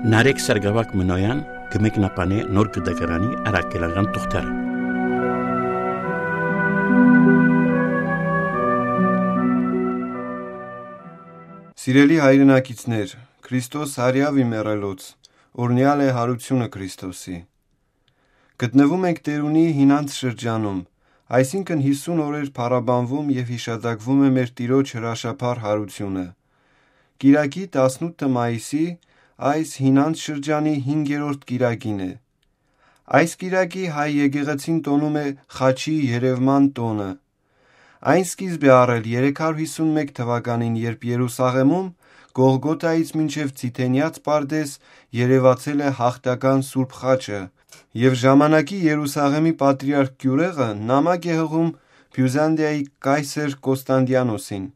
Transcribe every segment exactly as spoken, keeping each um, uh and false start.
Նարեկ Սարգսակ Մնոյան կը մեկնաբանէ Նոր Կտակարանի առաքելական թուղթերը։ Սիրելի հայրենակիցներ, Քրիստոս հարեաւ ի մեռելոց, օրհնեալ է հարութիւնը Քրիստոսի։ Գտնվում ենք Տէրունի հինանց շրջանում, այսինքն՝ յիսուն օրեր փառաբանվում եւ յիշատակվում է մեր Տիրոջ հրաշափառ հարութիւնը։ Կիրակի, տասնութ մայիսի, այս հինանց շրջանի հինգերորդ կիրակին է։ Այս կիրակի հայ եկեղեցին տոնում է Խաչի երևման տօնը։ Այն սկիզբ է առել երեք հարյուր հիսուն մէկ թվականին, երբ Երուսաղէմում, Գողգոթայից մինչեւ Ցիթենեաց պարտէզ, երեւացել է յաղթական Սուրբ Խաչը, եւ ժամանակի Երուսաղէմի պատրիարք Կիւրեղը նամակ է յղում Բիւզանդիայի կայսեր Կոստանդիանոսին,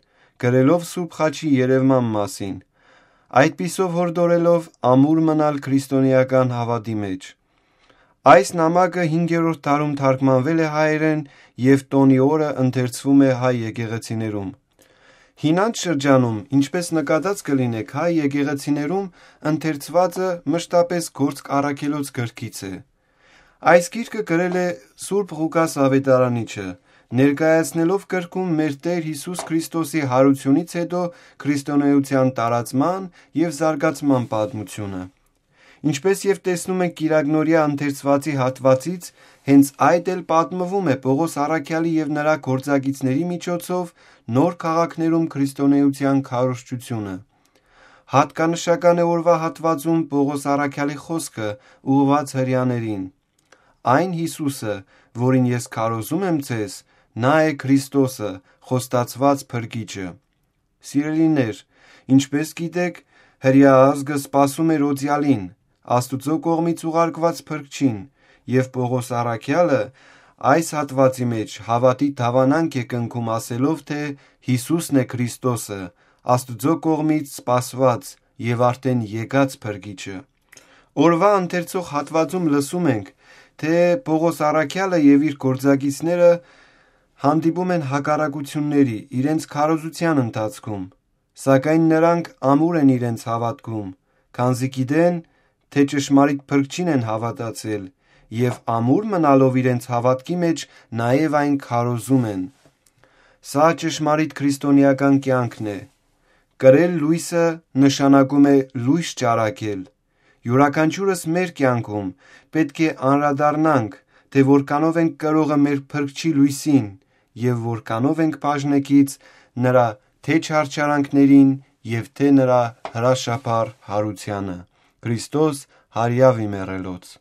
գրելով Սուրբ Խաչի երևման մասին, այդպիսով յորդորելով ամուր մնալ քրիստոնէական հաւատի մէջ։ Այս նամակը հինգերորդ դարում թարգմանվել է հայերէն եւ տօնի օրը ընթերցվում է հայ եկեղեցիներում։ Հինանց շրջանում, ինչպէս նկատած կը լինէք, հայ եկեղեցիներում ընթերցուածը մշտապէս գործք առաքելոց գրքից է։ Այս գիրքը գրել է Սուրբ Ղուկաս Աւետարանիչը, ներկայացնելով գրքում մեր Տէր Յիսուս Քրիստոսի յարութիւնից յետոյ քրիստոնէության տարածման եւ զարգացման պատմութիւնը։ Ինչպէս եւ տեսնում ենք Կիրակնորեայ ընթերցուածի հատուածից, հենց այդ էլ պատմվում է Պօղոս առաքեալի եւ նրա գործակիցների միջոցով նոր քաղաքներում քրիստոնէության քարոզչութիւնը։ Յատկանշական է օրուայ հատուածում Պօղոս առաքեալի խօսքը՝ ուղղուած Հրեաներին. «Այն Յիսուսը, որին ես քարոզում եմ ձեզ, նա է Քրիստոսը, խոստացուած Փրկիչը»։ Սիրելիներ, ինչպէս գիտէք, Հրեայ ազգը սպասում էր Օծեալին, Աստուծոյ կողմից ուղարկուած Փրկչին, եւ Պօղոս առաքեալը այս հատուածի մէջ հաւատի դաւանանք է կնքում, ասելով թէ Յիսուսն է Քրիստոսը, Աստուծոյ կողմից սպասուած եւ արդէն եկած Փրկիչը։ Օրուայ ընթերցող հատուածում լսում ենք, թէ Պօղոս առաքեալը եւ իր գործակիցները հանդիպում են հակառակութիւնների իրենց քարոզութեան ընթացքում, սակայն նրանք ամուր են իրենց հաւատքում, քանզի գիտեն, թէ ճշմարիտ Փրկչին են հաւատացել եւ ամուր մնալով իրենց հաւատքի մէջ, նաեւ այն քարոզում են։ Սա ճշմարիտ քրիստոնեական կեանքն է։ Կրել լոյսը նշանակում է լոյս ճառագել։ Իւրաքանչիւրս մեր կեանքում պէտք է անդրադառնանք, թէ որքանով ենք կրողը մեր Փրկչի լոյսին եւ որքանով ենք բաժնեկից նրա թէ չարչարանքներին եւ թէ նրա հրաշափառ յարութեանը։ Քրիստոս հարեաւ ի մեռելոց։